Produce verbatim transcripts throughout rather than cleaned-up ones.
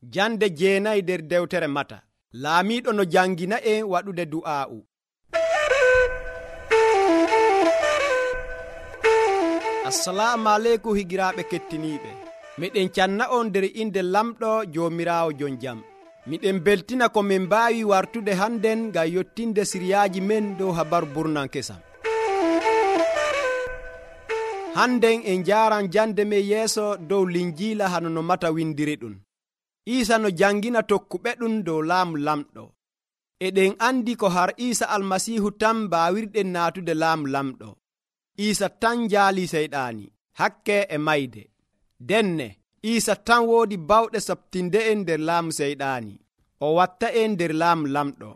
Jande jeenayi nder dewtere Mata. Laamiiɗo no jangina en waɗude du'aa'u. Assalamu aleykum higiraaɓe kettiniiɓe. Miɗen canna on nder inde lamɗo Joomiraawo jon jam. Miɗen beltina ko min mbaawi wartude hannden ngam yottinde siriyaaji men dow habaru burnan kesam. Hannden en njaaran jande men yeeso dow linjiila hano no Mata windiri ɗum. Iisa no jangina tokkuɓe ɗum dow laamu lamɗo. Eɗen andi ko har Iisa almasiihu tan mbaawirɗen naatude laamu lamɗo. Iisa tan jaali seyɗaani, hakke e mayde. Denne, Iisa tan woodi bawɗe sabtinde en nder laamu seyɗaani. O watta en nder laamu lamɗo.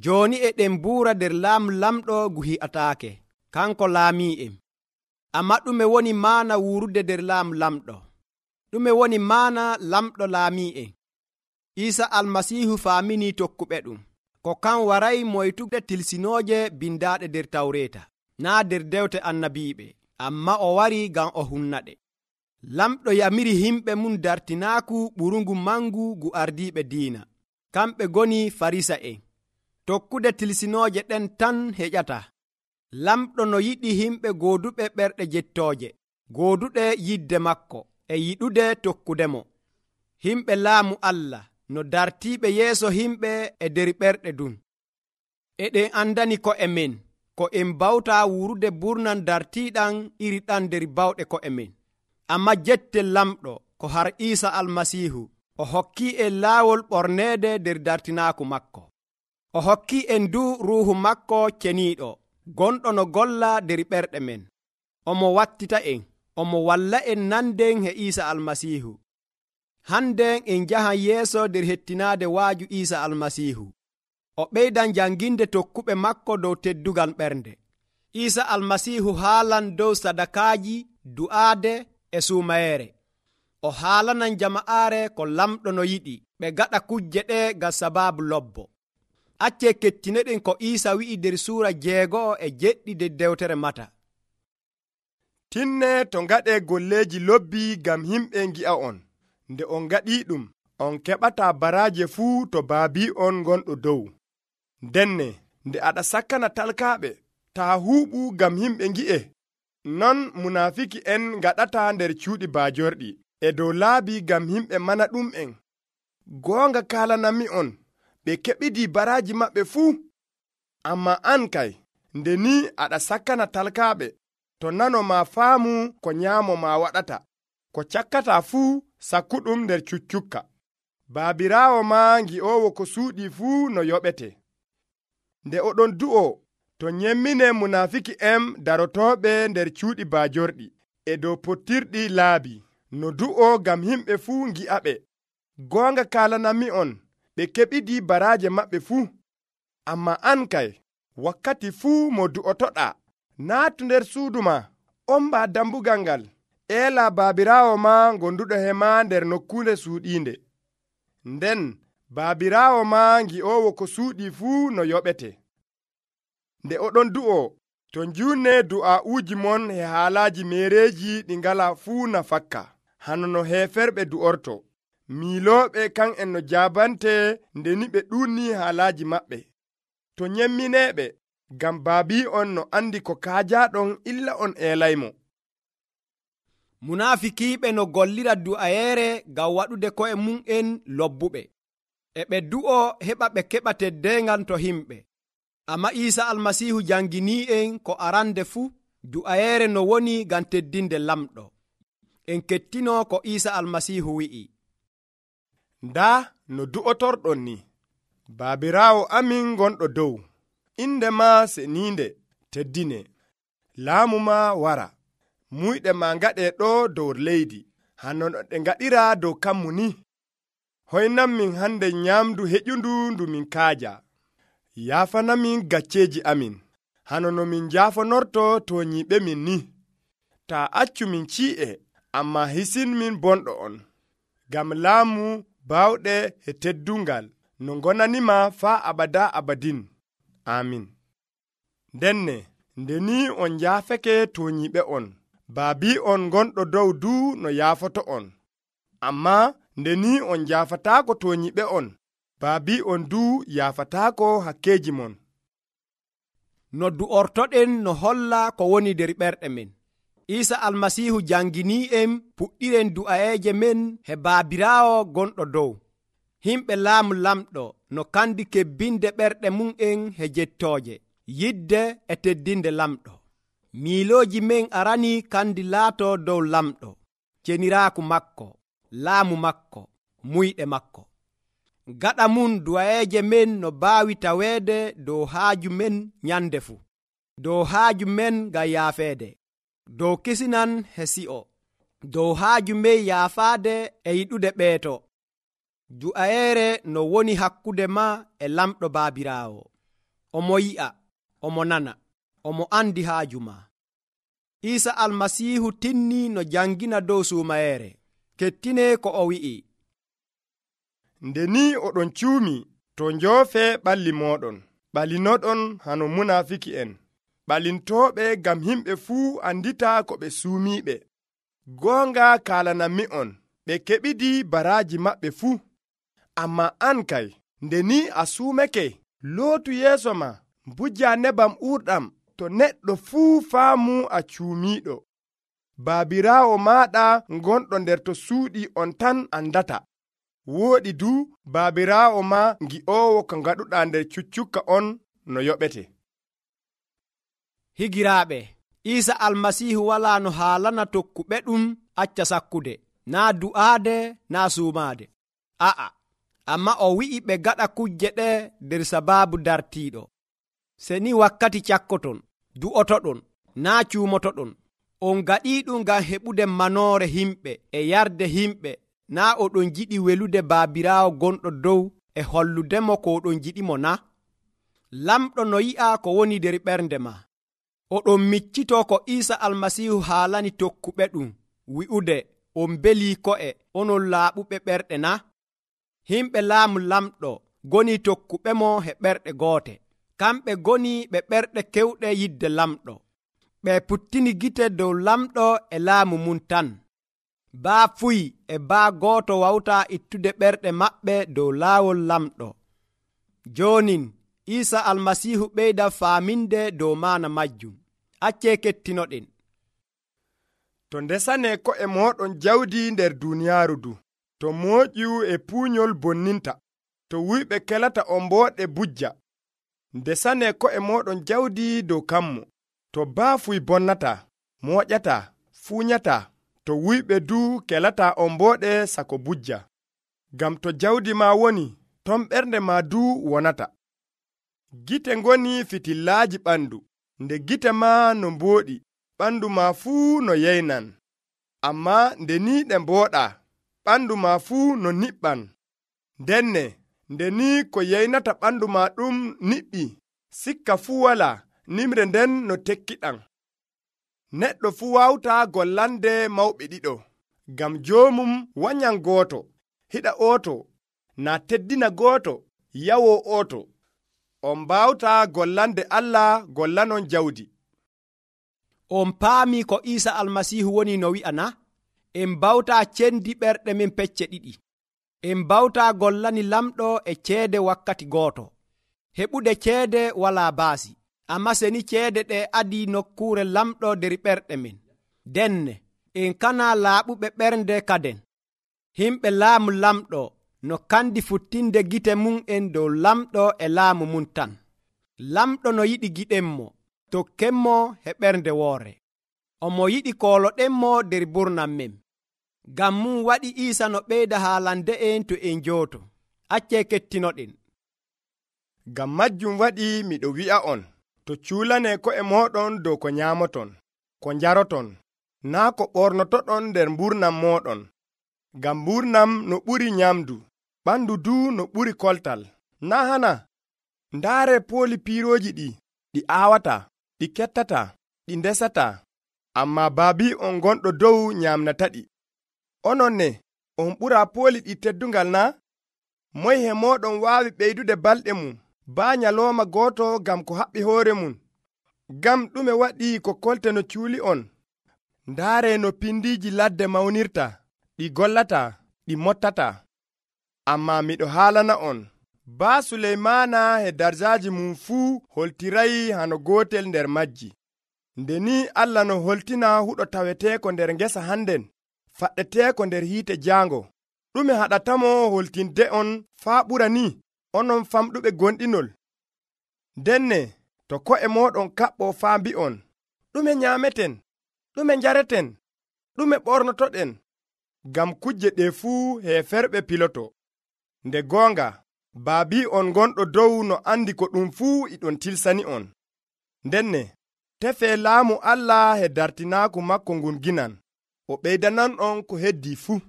Jooni eɗen buura nder laamu lamɗo ngu hi'ataake, kanko laamii en. Amma ɗume woni maana wuurude nder laamu lamɗo? Ɗume woni maana lamɗo laamii en? Iisa almasiihu faaminii tokkuɓe ɗum, ko kan waray moytude tilsinooje bindaaɗe nder Tawreeta, naa nder dewte annabiiɓe, amma o wari ngam o hunnaɗe. Lamɗo yamiri himɓe mum dartinaaku ɓurungu mangu ngu ardiiɓe diina, kamɓe goni Farisa'en. Tokkude tilsinooje ɗen tan heƴata. Lamɗo no yiɗi himɓe gooduɓe ɓerɗe jettooje, gooduɗe yidde makko, e yiɗude tokkudemo. Himɓe laamu Allah no dartiiɓe yeeso himɓe e nder ɓerɗe ɗum. Eɗen andani ko'e men ko en bawta wurude burnan dartiiɗan iri ɗan nder bawɗe ko'e men. Amma jettel lamɗo ko har Iisa almasiihu, o hokkii en laawol ɓorneede nder dartinaaku makko. O hokkii en du ruuhu makko ceniiɗo, gonɗo no golla nder ɓerɗe men. Omo wattita en, omo walla en nanden e Iisa almasiihu. Hannden en njahan yeeso nder hettinaade waaju Iisa almasiihu. O ɓeydan janginde tokkuɓe makko dow teddugal ɓernde. Iisa almasiihu haalan dow sadakaaji, du'aade e suumayeere. O haalanan jama'aare ko lamɗo no yiɗi ɓe gaɗa kujje ɗe ngam sabaabu lobbo. Accee kettinoɗen ko Iisa wi'i nder suura jeego'o e jeɗɗi nder dewtere Mata. Tinne to ngaɗee golleeji lobbi ngam himɓe ngi'a on. Nde on ngaɗii ɗum, on keɓataa baraaje fuu to baabii on gonɗo dow. Denne, nde aɗa sakkana talkaaɓe, taa huuɓu ngam himɓe ngi'e. Non munaafiki en ngaɗataa nder cuuɗi baajorɗi, e dow laabi ngam himɓe mana ɗum'en. Goonga kaalanami on, ɓe keɓidii baraaji maɓɓe fuu. Amma an kay, nde ni aɗa sakkana talkaaɓe, to nano ma faamu ko nyaamo ma waɗata, ko cakkataa fuu sakkuɗum nder cuccukka. Baabiraawo ma ngi'oowo ko suuɗii fuu no yoɓete. Nde oɗon du'o, to nyemmine munaafiki en darotooɓe nder cuuɗi baajorɗi, e dow pottirɗi laabi, no du'o ngam himɓe fuu ngi'aɓe. Goonga kaalanami on, ɓe keɓidii baraaje maɓɓe fuu. Amma an kay, wakkati fuu mo du'otoɗaa, naatu nder suudu ma, omba dambugal ngal, eela baabiraawo ma gonduɗo he ma nder nokkuure suuɗiinde. Nden baabiraawo ma ngi'oowo ko suuɗii fuu no yoɓete. Nde oɗon du'o, to njuunne du'aa'uuji mon e haalaaji meereeji ɗi ngalaa fuu nafakka, hano no heeferɓe du'orto. Miilooɓe kan en no jaabante ndeni ɓe ɗuunnii haalaaji maɓɓe. To nyemmineeɓe, ngam baabii on no andi ko kaajaaɗon illa on eelaymo. Munaafikiiɓe no gollira du'ayeere ngam waɗude ko'e mum'en lobbuɓe. E ɓe du'o heɓa ɓe keɓa teddeengal to himɓe. Amma Iisa almasiihu janginii'en ko arande fuu du'ayeere no woni ngam teddinde lamɗo. En kettinoo ko Iisa almasiihu wi'i. Ndaa no du'otorɗon ni, baabiraawo amin gonɗo dow, inde ma seniinde teddine, laamu ma wara, muyɗe ma ngaɗee ɗo dow leydi, hano no ɗe ngaɗira dow kammu ni. Hoynan min hande nyaamdu heƴundu ndu min kaaja. Yaafanamin gacceeji amin, hano no min jaafonorto to nyiɓe min ni. Taa accu min cii'e, amma hisin min bonɗo on, ngam laamu baawɗe e teddungal no gonanima faa abada abadin. Amin. Denne, nde ni on jaafake to nyiɓe on, baabii on gonɗo dow du no yaafoto on. Amma nde ni on jaafataako to nyiɓe on, baabi on du yaafataako hakkeeji mon. No du'ortoɗen no holla ko woni nder ɓerɗe men. Isa almasihu jangini'en puɗɗiren du'ayeeje men he baabiraawo gonɗo dow. Himɓe laamu lamɗo no kandi kebbinde ɓerɗe mum'en he jettooje, yidde e teddinde lamɗo. Miilooji men arani kandi laato dow lamɗo, ceniraaku makko, laamu makko, muyɗe makko. Gaɗa mum du'ayeeje men no baawi taweede dow haaju men nyande fuu, dow haaju men ngam yaafeede, dow kisinan he si'o, dow haaju men yaafaade e yiɗude ɓeeto. Du'ayeere no woni hakkude ma e lamɗo baabiraawo. Omo yi'a, omo nana, omo andi haaju ma. Isa almasihu tinni no jangina dow suumayeere. Kettine ko o wi'i. Nde ni oɗon cuumi to njoofe ɓalli mooɗon, ɓalinoɗon hano munafiki en, ɓalintooɓe gam himɓe fuu andita ko ɓe suumiiɓe. Goonga kaalanammi on, ɓe keɓidi baraaji maɓɓe fuu. Amma an kay, nde ni a suumake, lootu yeeso ma, mbujja nebam urɗam, to neɗɗo fuu faamu a cuumiiɗo. Baabiraawo maaɗa gonɗo nder to suuɗi on tan andata. Wooɗi du baabiraawo ma ngi'oowo ko ngaɗuɗaa nder cuccukka on no yoɓete. Higiraaɓe, Isa almasihu walaa no haalana tokkuɓe ɗum acca sakkude, naa du'aade naa suumaade. A'a, amma o wi'i ɓe gaɗa kujje ɗe nder sabaabu dartiiɗo. Se ni wakkati cakkoton, du'otoɗon, naa cuumotoɗon. On gaɗiiɗum ngam heɓude manoore himɓe e yarde himɓe, naa oɗon jiɗi welude baabiraawo gonɗo dow e holludemo ko oɗon jiɗimo na? Lamɗo no yi'a ko woni nder ɓernde ma. Oɗon miccitoo ko Isa almasihu haalani tokkuɓe ɗum wi'ude on belii ko'e onon laaɓuɓe ɓerɗe na? Himɓe laamu lamɗo goni tokkuɓe mo he ɓerɗe goote. Kamɓe goni ɓe ɓerɗe kewɗe yidde lamɗo. Ɓe puttini gite dow lamɗo e laamu mum tan. Baa fuyi e baa gooto wawtaa ittude ɓerɗe maɓɓe dow laawol lamɗo. Joonin Isa almasihu ɓeyda faaminde dow maana majjum. Accee kettinoɗen. To ndesane ko'e mooɗon jawdi nder duuniyaaru du, to mooƴƴu e puunyol bonninta, to wuyɓe kelata on mbooɗe bujja. Ndesane ko'e mooɗon jawdi dow kammo, to baafuy bonnata, mooƴata, fuunyata, to wuyɓe du kelata on mbooɗe sako bujja. Gam to jawdi ma woni, ton ɓernde ma du wonata. Gite ngoni fitillaaji ɓandu, nde gite ma no mbooɗi, ɓandu ma fuu no yeynan. Amma nde ni ɗe mbooɗa, ɓandu ma fuu no niɓɓan. Ndenne, nde ni ko yeynata ɓandu ma ɗum niɓɓi, sikka fuu wala, nimre nden no tekkiɗan. Neɗɗo fuu wawta gollande mawɓe ɗiɗo, gam joomum wanyan gooto, hiɗa ooto, na teddina gooto, yawo ooto. On mbawta gollande Allah gollanon jawdi. On paami ko Isa almasihu woni no wi'a na? En mbawta cendi ɓerɗe men pecce ɗiɗi. En mbawta gollani lamɗo e ceede wakkati gooto. Heɓude ceede walaa baasi, amma seni ceede ɗe adi nokkuure lamɗo nder ɓerɗe men. Denne, en kana laaɓuɓe ɓernde kaden. Himɓe laamu lamɗo no kandi futtinde gite mum en dow lamɗo e laamu mum tan. Lamɗo no yiɗi giɗenmo, tokkenmo he ɓernde woore. Omo yiɗi kooloɗenmo nder burnam men. Gam mum waɗi Isa no ɓeyda haalande en to en jooto. Accee kettinoɗen. Gam majjum waɗi miɗo wi'a on, to cuulane ko'e mooɗon dow ko nyaamoton, ko njaroton, naa ko ɓornotoɗon nder mburnam mooɗon. Gam mburnam no ɓuri nyamdu, ɓandu du no ɓuri koltal. Na hana? Ndaare pooli piirooji ɗi, ɗi aawata, ɗi kettata, ɗi ndesata, amma baabi on gonɗo dow nyamnata ɗi. Onon ne, on ɓura pooli ɗi teddungal na? Moy he mooɗon waawi ɓeydude balɗe mum, baa nyalooma gooto gam ko haɓɓi hoore mum? Gam ɗume waɗi ko kolte no cuuli on? Ndaare no pindiiji ladde mawnirta, ɗi gollata, ɗi mottata. Ammaa miɗo haalana on, baa Suleymaana e darjaaji mum fuu holtirayi hano gootel nder majji. Nde ni Allah no holtina huɗo taweteeko nder ngesa hannden, faɗɗeteeko nder hiite jaango. Ɗume haɗatamo holtinde on faa ɓura ni, onon famɗuɓe gonɗinol? Denne, to ko'e mooɗon kaɓɓo faa mbi'on, ɗume nyaameten, ɗume njareten, ɗume ɓornotoɗen? Ngam kujje ɗe fuu heeferɓe piloto. Nde goonga, baabi'on gonɗo dow no andi ko ɗum fuu iɗon tilsani on. Ndenne, tefee laamu Allah e dartinaaku makko ngun ginan, o ɓeydanan'on ko heddi fuu.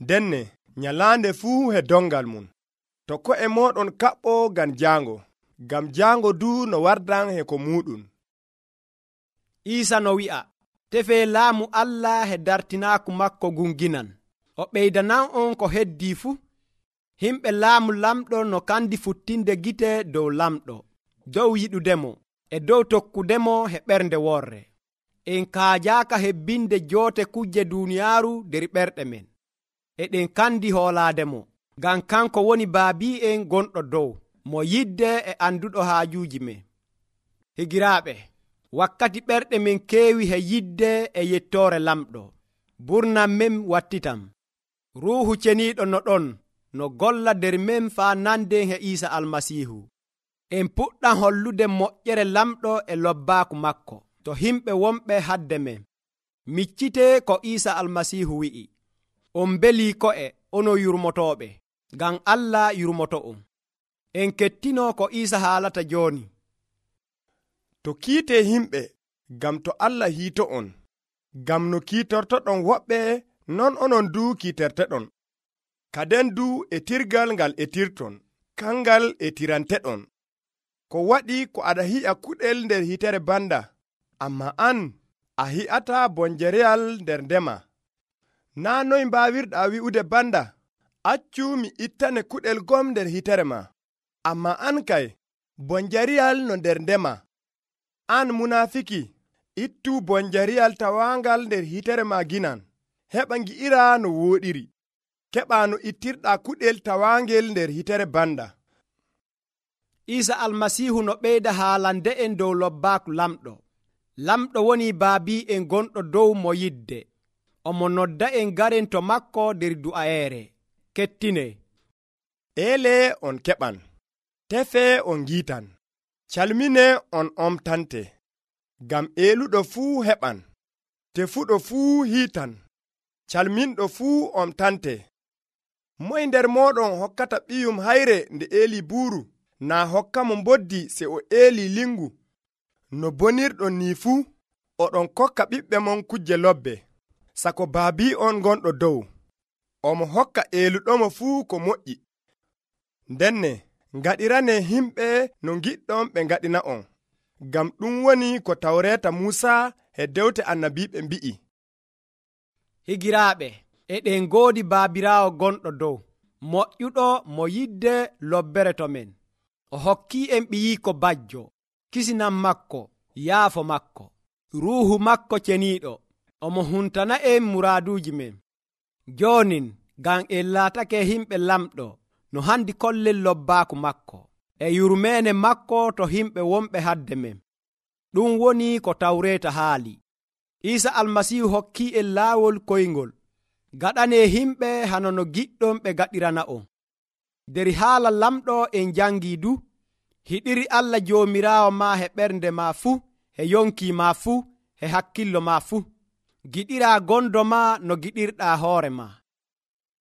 Ndenne, nyalaande fuu e dongal mum. To ko'e mooɗon kaɓɓo ngam jaango, ngam jaango du no wardan e ko muɗum. Iisa no wi'a, tefee laamu Allah e dartinaaku makko ngun ginan, o ɓeydanan'on ko heddi fuu. Himɓe laamu lamɗo no kandi futtinde gite dow lamɗo, dow yiɗudemo, e dow tokkudemo e ɓernde worre. En kaajaaka hebbinde joote kujje duuniyaaru der ɓerɗe men. Eɗen kandi hoolaademo, ngam kanko woni baabi'en gonɗo dow, mo yidde e anduɗo haajuuji men. Higiraaɓe, wakkati ɓerɗe men keewi he yidde e yettoore lamɗo, burnam men wattitam. Ruuhu ceniiɗo no ɗon no golla nder men faa nanden e Iisa Almasiihu. En puɗɗam hollude moƴƴere lamɗo e lobbaaku makko to himɓe wonɓe hadde men. Miccite ko Iisa Almasiihu wi'i, on belii ko'e ono yurmotooɓe, ngam Allah yurmoto'on. En kettino ko Iisa haalata jooni. To kiite himɓe, ngam to Allah hiito'on, ngam no kiitortoɗon woɓɓe, non onon du kiiterteɗon. Kaden du e tirgal ngal etirton, kangal etiranteɗon. Ko waɗi ko aɗa hi'a kuɗel nder hitere banda, amma an a hi'ata bonjereyal nder ndema. Naa noy mbaawirɗa wi'ude banda, accu mi ittane kuɗel gom nder hitere ma, amma an kay bonjariyal no nder ndema. An munafiki, ittu bonjariyal tawaangal nder hitere ma ginan, heɓa ngi'ira no wooɗiri. Keɓa no ittirɗa kuɗel tawaangel nder hitere banda. Iisa Almasiihu no ɓeyda haalande en dow lobbaaku lamɗo. Lamɗo woni baabi'en gonɗo dow mo yidde. Omo nodda en garen to makko nder du'ayeere. Kettine. Eele on keɓan, tefe on ngiitan, calmine on omtante. Ngam eeluɗo fuu heɓan, tefuɗo fuu hiitan, calminɗo fuu omtante. Moy nder mooɗon hokkata ɓiyum hayre nde eeli buuru, naa hokka mo mboddi se o eeli lingu? No bonirɗon ni fuu, oɗon kokka ɓiɓɓe mon kujje lobbe. Sako baabi'on gonɗo dow, omo hokka eeluɗomo fuu ko moƴƴi. Ndenne, ngaɗirane himɓe no giɗɗon ɓe ngaɗina'on, ngam ɗum woni ko tawreeta Muusa e dewte annabiiɓe mbi'i. Higiraaɓe, eɗen ngoodi baabiraawo gonɗo dow, moƴƴuɗo mo yidde lobbere to men. O hokki en ɓiyiiko bajjo, kisinan makko, yaafo makko, ruuhu makko ceniiɗo. Omo huntana en muraaduuji men. Joonin, ngam en laatake himɓe lamɗo, no handi kollen lobbaaku makko, e yurmeene makko to himɓe wonɓe hadde men. Ɗum woni ko tawreeta haali. Iisa Almasiihu hokki en laawol koyngol. Gaɗane himɓe hano no giɗɗon ɓe gaɗirana'on. Der haala lamɗo en jangi du, hiɗiri Allah joomiraawo ma he ɓernde ma fuu, he yonki ma fuu, he hakkillo ma fuu. Giɗira gondo ma no giɗirɗa hoore ma.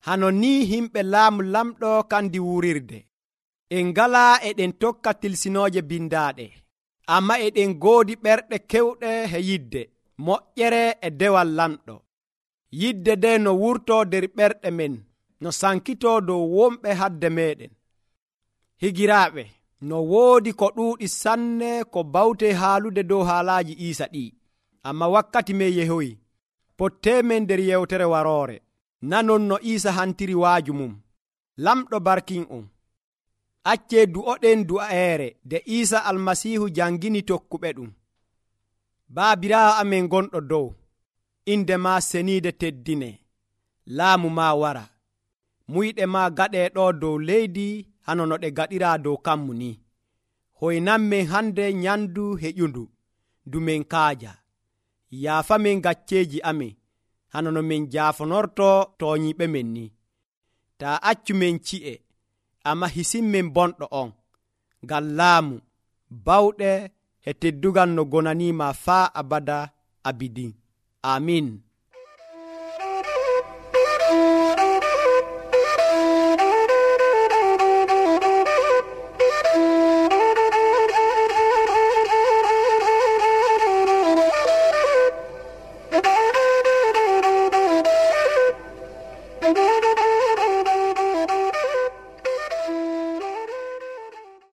Hano ni himɓe laamu lamɗo kandi wurirde. En ngala eɗen tokka tilsinooje bindaaɗe, amma eɗen goodi ɓerɗe kewɗe he yidde, moƴƴere e dewal lamɗo. Yidde de no wurto der ɓerɗe men, no sankito dow wonɓe hadde meɗen. Higiraaɓe, no woodi ko ɗuuɗi sanne ko bawte haalude dow haalaaji Iisa ɗi, amma wakkati men yehoyi. Pottemen nder yewtere waroore, nanon no Iisa hantiri waaju mum. Lamɗo barkin'on. Accee du'oɗen du'ayeere de Iisa Almasiihu jangini tokkuɓe ɗum. Baabiraawo amen gonɗo dow, inde ma seniide teddine, laamu ma wara. muyɗe ma gaɗe ɗo dow leydi hano no ɗe gaɗira dow kammu ni. Hoynan men hande nyandu heƴundu ndu men kaaja. Yaafamen gacceji amin hano no min jaafonorto toonyiɓe men ni. Ta accu men ci'e, amma hisinmen bonɗo on, ngam laamu, bawɗe e teddugal no gonanima faa abada abidin. Amin.